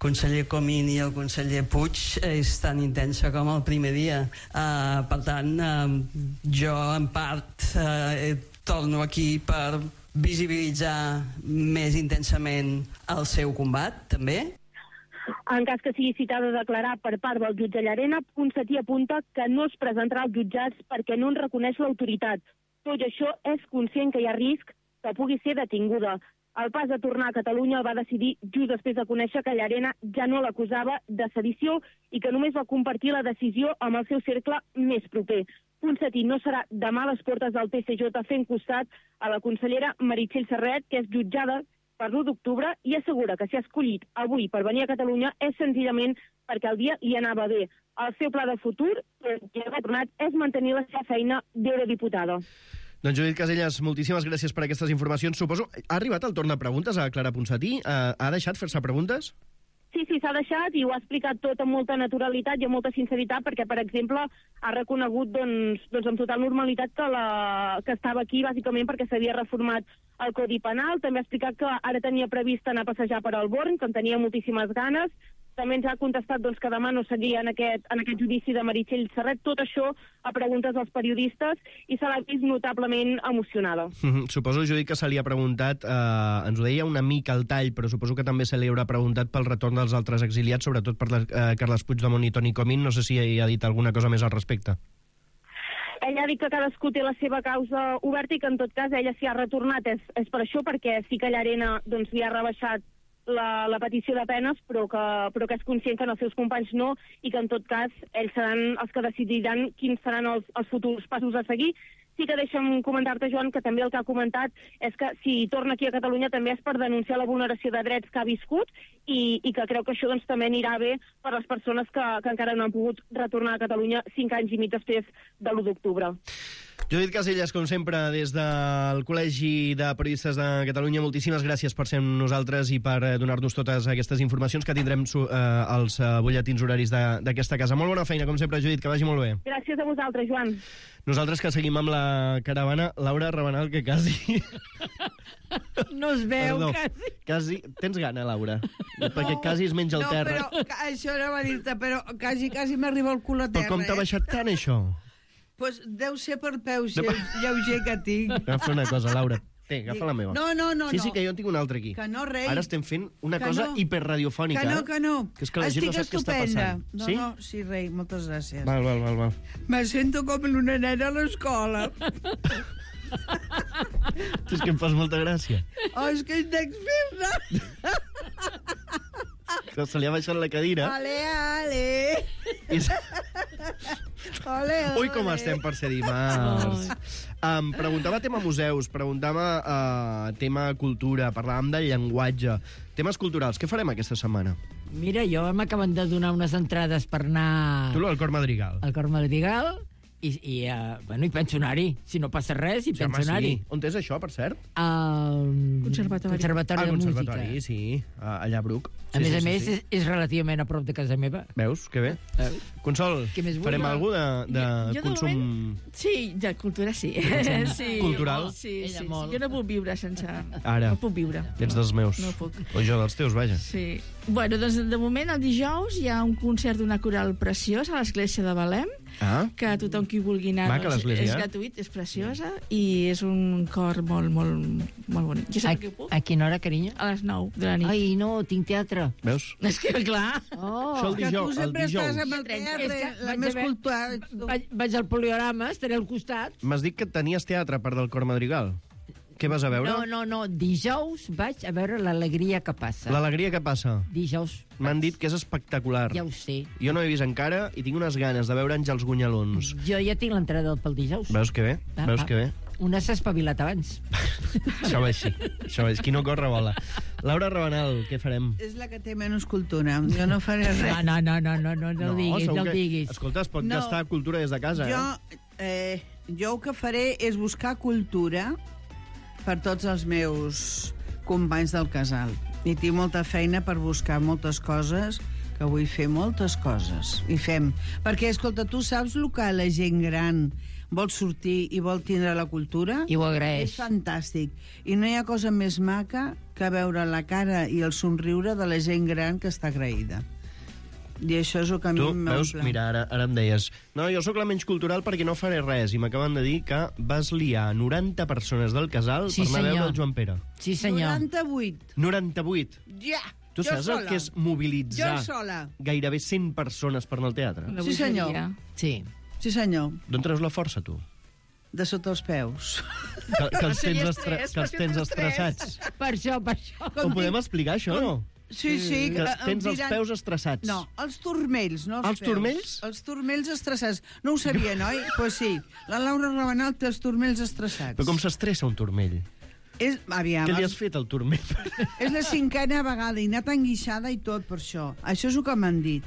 conseller Comín i el conseller Puig és tan intensa com el primer dia. Uh, per tant, uh, jo en part uh, torno aquí per visibilitzar més intensament el seu combat, també. En cas que sigui citada a declarar per part del jutge Llarena, Ponsatí apunta que no es presentarà als jutjats perquè no en reconeix l'autoritat. Tot i això, és conscient que hi ha risc que pugui ser detinguda. El pas de tornar a Catalunya el va decidir just després de conèixer que Llarena ja no l'acusava de sedició i que només va compartir la decisió amb el seu cercle més proper. Ponsatí no serà demà a les portes del T C J fent costat a la consellera Meritxell Serret, que és jutjada per l'u d'octubre, i assegura que si ha escollit avui per venir a Catalunya és senzillament perquè el dia li anava bé. El seu pla de futur, que ha tornat, és mantenir la seva feina d'eurodiputada. Doncs Judit Caselles, moltíssimes gràcies per aquestes informacions. Suposo, ha arribat el torn de preguntes a Clara Ponsatí? Ha deixat fer-se preguntes? Sí, sí, s'ha deixat i ho ha explicat tot amb molta naturalitat i amb molta sinceritat, perquè, per exemple, ha reconegut doncs, doncs amb total normalitat que, la, que estava aquí bàsicament perquè s'havia reformat el Codi Penal. També ha explicat que ara tenia previst anar a passejar per al Born, que en tenia moltíssimes ganes. També ens ha contestat doncs, que demà no seria en aquest, en aquest judici de Meritxell Serret. Tot això a preguntes dels periodistes, i se l'ha vist notablement emocionada. Mm-hmm. Suposo, Judit, que se li ha preguntat, eh, ens ho deia una mica al tall, però suposo que també se li haurà preguntat pel retorn dels altres exiliats, sobretot per la, eh, Carles Puigdemont i Toni Comín. No sé si hi ha dit alguna cosa més al respecte. Ella ha dit que cadascú té la seva causa oberta i que, en tot cas, ella s'hi ha retornat. És, és per això, perquè sí que Llarena doncs, li ha rebaixat La, la petició de penes, però que, però que és conscient que els seus companys no, i que en tot cas ells seran els que decidiran quins seran els, els futurs passos a seguir. Sí que deixa'm comentar-te, Joan, que també el que ha comentat és que si torna aquí a Catalunya també és per denunciar la vulneració de drets que ha viscut, i, i que creu que això doncs, també anirà bé per les persones que, que encara no han pogut retornar a Catalunya cinc anys i mig després de l'u d'octubre. Judit Caselles, com sempre, des del Col·legi de Periodistes de Catalunya, moltíssimes gràcies per ser amb nosaltres i per donar-nos totes aquestes informacions que tindrem eh, als eh, butlletins horaris d'aquesta casa. Molt bona feina, com sempre, Judit, que vagi molt bé. Gràcies a vosaltres, Joan. Nosaltres que seguim amb la caravana, Laura Rabanal, que quasi... No es veu, Perdó, quasi. quasi... Tens gana, Laura? No, perquè quasi es menja el no, terra. No, però això no va dir-te, però quasi, quasi m'arriba el cul a terra. Però com t'ha baixat tant, això? Pues deu ser per peus no, lleuger que tinc. Agafa una cosa, Laura. Té, agafa la meva. No, no, no. Sí, sí, que jo en tinc una altra aquí. Que no, rei. Ara estem fent una que cosa no. hiperradiofònica. Que no, que no. Que és que la gent no sap què està passant. No, sí? no, sí, rei, moltes gràcies. Val, val, val, val. Me sento com una nena a l'escola. Tu és que em fas molta gràcia. Oh, és que ets fer-ne. Que se li ha baixat la cadira. Ale, ale. I... Ole, ole. Ui, com estem per ser dimarts. Um, preguntava tema museus, preguntava uh, tema cultura, parlàvem del llenguatge, temes culturals. Què farem aquesta setmana? Mira, jo m'acaben de donar unes entrades per anar... Tu, al Cor Madrigal. Al Cor Madrigal, i, i, uh, bueno, i penso anar-hi. Si no passa res, i Sí, penso home, anar-hi. sí. On és això, per cert? Al Conservatori. Conservatori Ah, de conservatori, Música. sí, a- allà a Bruc. A Sí, més sí, a sí, més, sí. és, és relativament a prop de casa meva. Veus? Que bé. Consol, Què més vull? farem alguna de, de Jo, de consum... moment, sí, de cultura sí. Consum sí. cultural? Sí, Ella sí, sí. molt. Jo no puc viure sense... Ara. No puc viure. Ets dels meus. No puc. O jo dels teus, vaja. Sí. Bueno, doncs de moment, el dijous, hi ha un concert d'una coral preciós a l'església de Belém, Ah, que tothom qui vulgui anar Maca, doncs, l'església, és eh? gratuït, és preciosa, i és un cor molt, molt, molt bonic. Jo A, sempre que puc, a quina hora, carinyo? a les nou de la nit. Ai, no, tinc teatre. veus? És que, clar... Oh, Això el Que tu dijous. El sempre dijous. estàs amb el És teatre, que la vaig més haver- cultural ets tu. Vaig, vaig al poliorama, estaré al costat. M'has dit que tenies teatre, a part del cor madrigal. Què vas a veure? No, no, no, dijous vaig a veure l'alegria que passa. L'alegria que passa. Dijous. M'han dit que és espectacular. Ja ho sé. Jo no he vist encara i tinc unes ganes de veure Àngels Gunyalons. Jo ja tinc l'entrada pel dijous. Veus que bé? Ah, Veus ah. que bé? Una s'ha espavilat abans. Això va així. Això va així. Qui no corre, vola. Laura Rabanal, què farem? És la que té menys cultura. Jo no faré res. No, no, no, no, no, no, no el diguis, segur no el que- diguis. Escolta, es pot No. gastar cultura des de casa, Jo, eh? eh, jo el que faré és buscar cultura per tots els meus companys del casal. I tinc molta feina per buscar moltes coses, que vull fer moltes coses. I fem. Perquè, escolta, tu saps el que la gent gran vol sortir i vol tindre la cultura? I ho agraeix. És fantàstic. I no hi ha cosa més maca que veure la cara i el somriure de la gent gran que està agraïda. I això és el que a mi Tu, m'omple. veus, mira, ara, ara em deies no, jo sóc la menys cultural perquè no faré res i m'acaben de dir que vas liar noranta persones del casal Sí, per anar a veure senyor. el Joan Pere. Sí, senyor. noranta-vuit. noranta-vuit. Ja! Tu jo saps sola. el que és mobilitzar Jo sola. gairebé cent persones per anar al teatre? Una Sí, senyor. bogeria. Sí. Sí, senyor. D'on treus la força, tu? De sota els peus. Que, que els tens, Seria estre estrès, que els però tens si no estressats. Per això, per això. Ho podem explicar, això, no? Sí, sí. Que eh, tens em els diran- peus estressats. No, els turmells, no els, Els peus. turmells? Els turmells estressats. No ho sabia, no? Doncs pues sí, la Laura Rabanal té els turmells estressats. Però com s'estressa un turmell? És, aviam, Què li has els- fet al turmell? és la cinquena vegada i anat enguixada i tot per això. Això és el que m'han dit.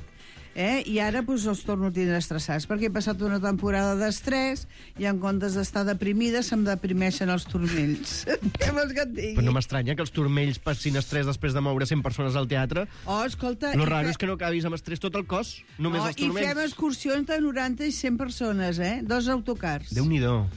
Eh? I ara pues, els torno a tindre estressats perquè he passat una temporada d'estrès i en comptes d'estar deprimida se'm deprimeixen els turmells. Què vols que et digui? Però no m'estranya que els turmells passin estrès després de moure cent persones al teatre. Oh, escolta... Lo i raro fe- és que no acabis amb estrès tot el cos, només oh, els I fem turmells. excursions de noranta i cent persones, eh? Dos autocars. Déu-n'hi-do.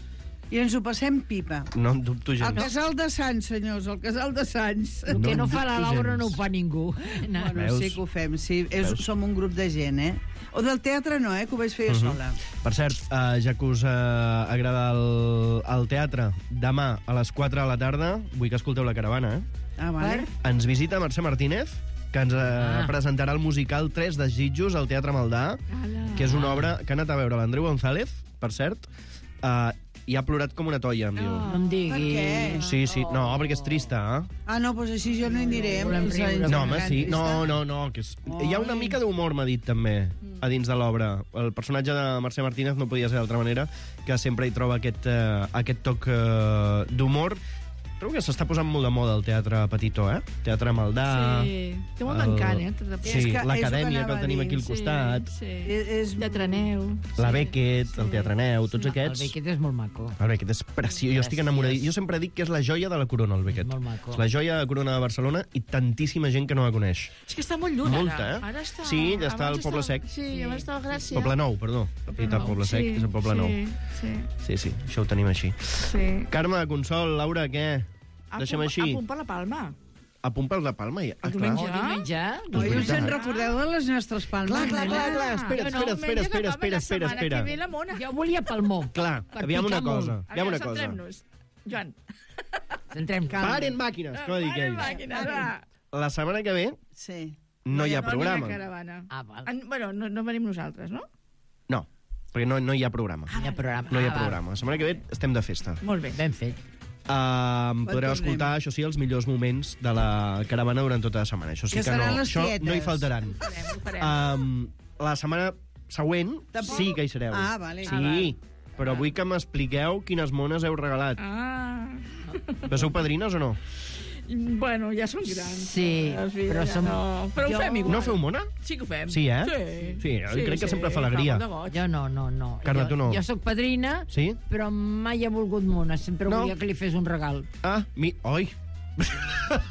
I ens ho passem pipa. No en dubto El gens. casal de Sants, senyors, el casal de Sants. El que No no en fa la dubto Laura gens. no ho fa ningú. No. Bueno, Veus? sí que ho fem, sí. És, Veus? som un grup de gent, eh? O del teatre no, eh? Que ho vaig fer jo Mhm. sola. Per cert, uh, ja que us uh, agrada el, el teatre, demà a les quatre de la tarda, vull que escolteu la caravana, eh? Ah, vale. Ens visita Mercè Martínez, que ens uh, Ah. presentarà el musical Tres desitjos al Teatre Maldà, que és una obra que ha anat a veure l'Andreu González, per cert, uh, i ha plorat com una toia, em diu. No em diguis. Per què? Sí, sí, no, perquè és trista, eh? Ah, no, doncs així jo no hi aniré. Volem Ens- riure. ens No, home, aniran sí. trista. No, no, no. Que és... Hi ha una mica d'humor, m'ha dit, també, a dins de l'obra. El personatge de Mercè Martínez no podia ser d'altra manera, que sempre hi troba aquest, uh, aquest toc uh, d'humor. Trobo que s'està posant molt de moda el teatre petitó, eh? Teatre Maldà... Sí, té molt d'encant, eh? Tot de- Sí, És que- és el que l'acadèmia, que anava el tenim a aquí al dir, costat. Sí, És, és... Teatre Neu. La sí. Beckett, el Teatre Neu, tots El aquests... Beckett és molt maco. El Beckett és preciós, jo estic enamorat. Jo sempre dic que és la joia de la corona, el Beckett. Molt maco. És la joia de la corona de Barcelona i tantíssima gent que no la coneix. És que està molt lluny, Molta, ara. eh? Ara està... Sí, ja està abans al Poble estava- Sec. Sí, abans estava a Gràcia. Poble Nou, perdó. He dit el Poble Sec, Sí, és el Poble sí, Nou. Sí, Sí, sí, això ho tenim així. sí. Carme, Consol, Laura, què? A Deixem punt- així. A punt per la Palma. A punt per la Palma. Ja. Ah, El clar. diumenge. O diumenge? No, i us en veritat. recordeu de les nostres palmes? Clar, clar, clar, clar. Espera, Jo no, espera, espera, menja espera, de espera, la espera, setmana espera. que ve la mona. Jo volia Palmó. Clar, Per aviam una picar molt. cosa. Aviam una cosa. Centrem-nos. Joan. Centrem. Paren màquines, com dic Paren ells. màquines, va. La setmana que ve Sí. no hi ha No programa. hi ha caravana. Ah, val. En, bueno, no, no venim nosaltres, no? No, perquè no, no hi ha programa. No hi ha programa. No hi ha Ah, val. programa. La setmana que ve estem de festa. Molt bé. Ben fet. Uh, podreu tornem. escoltar, això sí, els millors moments de la caravana durant tota la setmana. Això sí Que que, no, seran les això tietes. no hi faltaran. Ho farem, ho farem. Um, la setmana següent Tampoc? sí que hi sereu. Ah, vale. Sí, Ah, però vull que m'expliqueu quines mones heu regalat. Ah. Però sou padrines o no? Bueno, ja són grans. Sí, les filles, però ja som- No, però ho Jo- fem igual. No feu mona? Sí que ho fem. Sí, eh? Sí. Sí, jo crec que sempre fa alegria. Fa molt de goig. Jo no, no, no. Carme, jo, tu no. Jo sóc padrina, Sí? però mai he volgut mona. Sempre No? volia que li fes un regal. Ah, mi... Oi.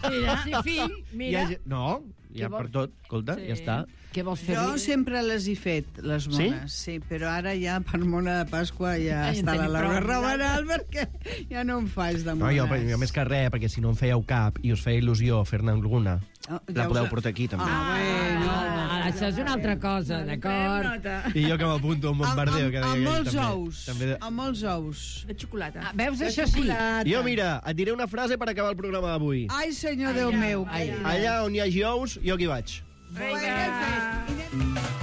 Mira, sí, fill, mira. Hi ha... No, hi ha Què vol- per tot. Escolta, Sí. ja està. Què vols Jo fer-li? sempre les he fet, les Sí? mones, sí? sí, però ara ja per mona de Pasqua ja Ai, en està la tenim Laura prou. Rabanal perquè ja no em faig de No, mones. jo, jo més que res, perquè si no en fèieu cap i us feia il·lusió fer-ne alguna, Oh, la ja podeu us- portar aquí, també. Ah, bueno. Ah, això és una altra cosa, d'acord? I jo que m'apunto a un bombardeo. Amb, que amb, deia amb ell, molts també. ous. També... Amb molts ous. De xocolata. Ah, veus, De això sí. xocolata. Jo, mira, et diré una frase per acabar el programa d'avui. Ai, senyor Déu meu. ai, Allà on hi hagi ous, jo aquí vaig. Vinga. Vinga.